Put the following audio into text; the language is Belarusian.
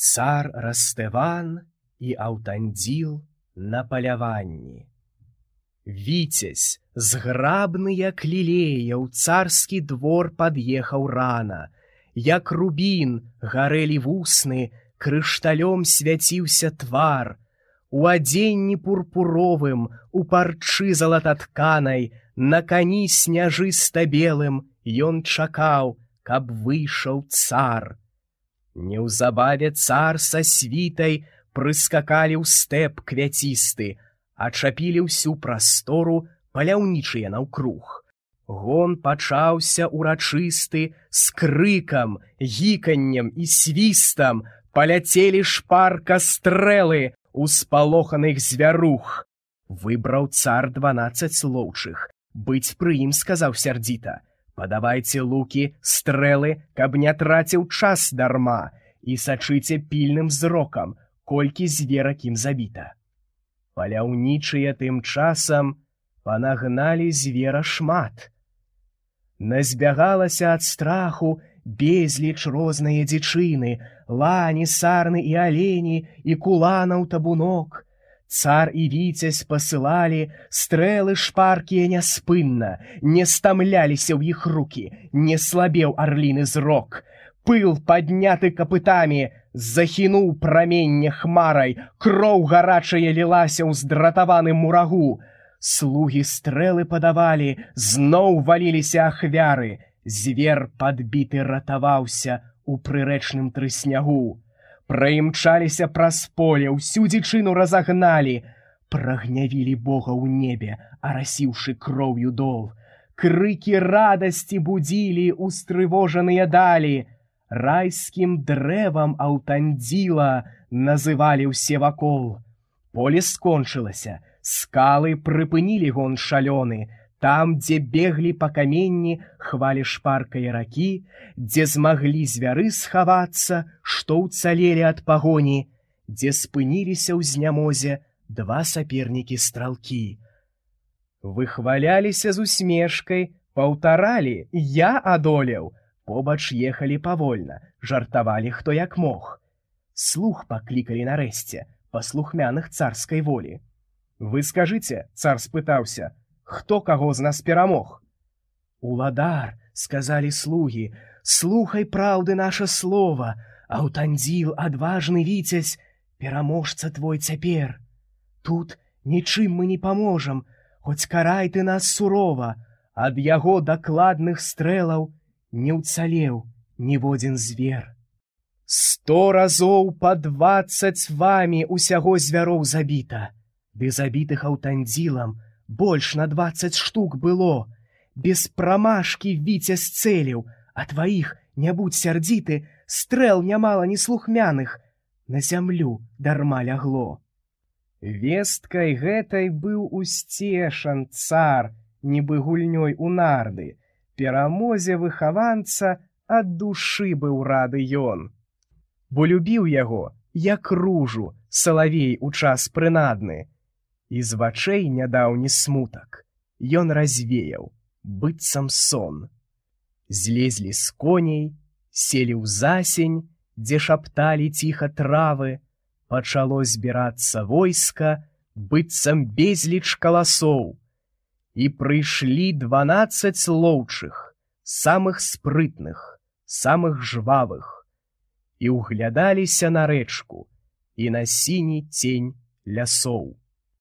Цар Растэван і Аўтандзіл на паляванні. Віцязь, зграбны як лілея, ў царскі двор пад'ехаў рана. Як рубін гарэлі вусны, крышталём свяціўся твар. У адзенні пурпуровым, у парчы залататканай, на кані сняжыста-белым ён чакаў, каб выйшаў цар. Неўзабаве цар са світай прыскакалі ў стэп квяцісты, ачапілі ўсю прастору паляўнічыя наўкруг. Гон пачаўся урачысты, з крыкам, гіканнем і свістам паляцелі шпарка стрэлы ў спалоханых звярух. Выбраў цар 12 лоўчых, быць пры ім сказаў сярдзіта: «Падавайце лукі, стрэлы, каб не траціў час дарма, і сачыце пільным зрокам, колькі зверак ім забіта». Паляўнічыя тым часам панагналі звера шмат. Назбягалася ад страху безліч розныя дзічыны, лані, сарны і алені, і куланаў табунок. Цар і віцязь пасылалі, стрэлы шпаркія няспынна, не стамляліся ў іх рукі, не слабеў арліны зрок. Пыл, падняты капытамі, захінуў праменне хмарай, кроў гарачая лілася ў здратаваным мурагу. Слугі стрэлы падавалі, зноў валіліся ахвяры. Звер падбіты ратаваўся у прырэчным трыснягу. Праімчаліся праз поле, ўсю дзічыну разагналі. Прагнявілі Бога ў небе, арасіўшы кроўю дол. Крыкі радасці будзілі устрывожаныя далі. Райскім дрэвам Аўтандзіла называлі ўсе вакол. Поле скончылася, скалы прыпынілі гон шалёны. Там, дзе беглі па каменні хвалі шпаркай ракі, дзе змаглі звяры схавацца, што ўцалелі ад пагоні, дзе спыніліся ў знямозе два сапернікі-стралкі. Выхваляліся з усмешкай, паўтаралі: «Я адолеў». Побач ехалі павольна, жартавалі хто як мог. Слух паклікалі нарэшце, паслухмяных царскай волі. «Вы скажыце», — цар спытаўся, «хто каго з нас перамог?» «Уладар», — сказалі слугі, «слухай праўды наша слова, Аўтандзіл, адважны віцязь, пераможца твой цяпер. Тут нічым мы не паможам, хоць карай ты нас сурова, ад яго дакладных стрэлаў не ўцалеў ніводзін звер. 100 разоў па 20 вамі усяго звяроў забіта, ды забітых Аўтандзілам больш на 20 штук было. Без прамашкі віцязь цэліў, а тваіх, не будь сярдзіты, стрэл нямала неслухмяных на зямлю дарма лягло». Весткай гэтай быў усцешан цар, нібы гульнёй у нарды. Перамозе выхаванца ад душы быў рады ён. Бо любіў яго, як ружу, салавей у час прынадны. І з вачэй нядаўні смутак ён развеяў, быццам сон. Злезлі з коней, селі ў засень, дзе шапталі ціха травы, пачало збірацца войска, быццам безліч каласоў. І прыйшлі 12 лоўчых, самых спрытных, самых жвавых, і ўглядаліся на рэчку і на сіні цень лясоў.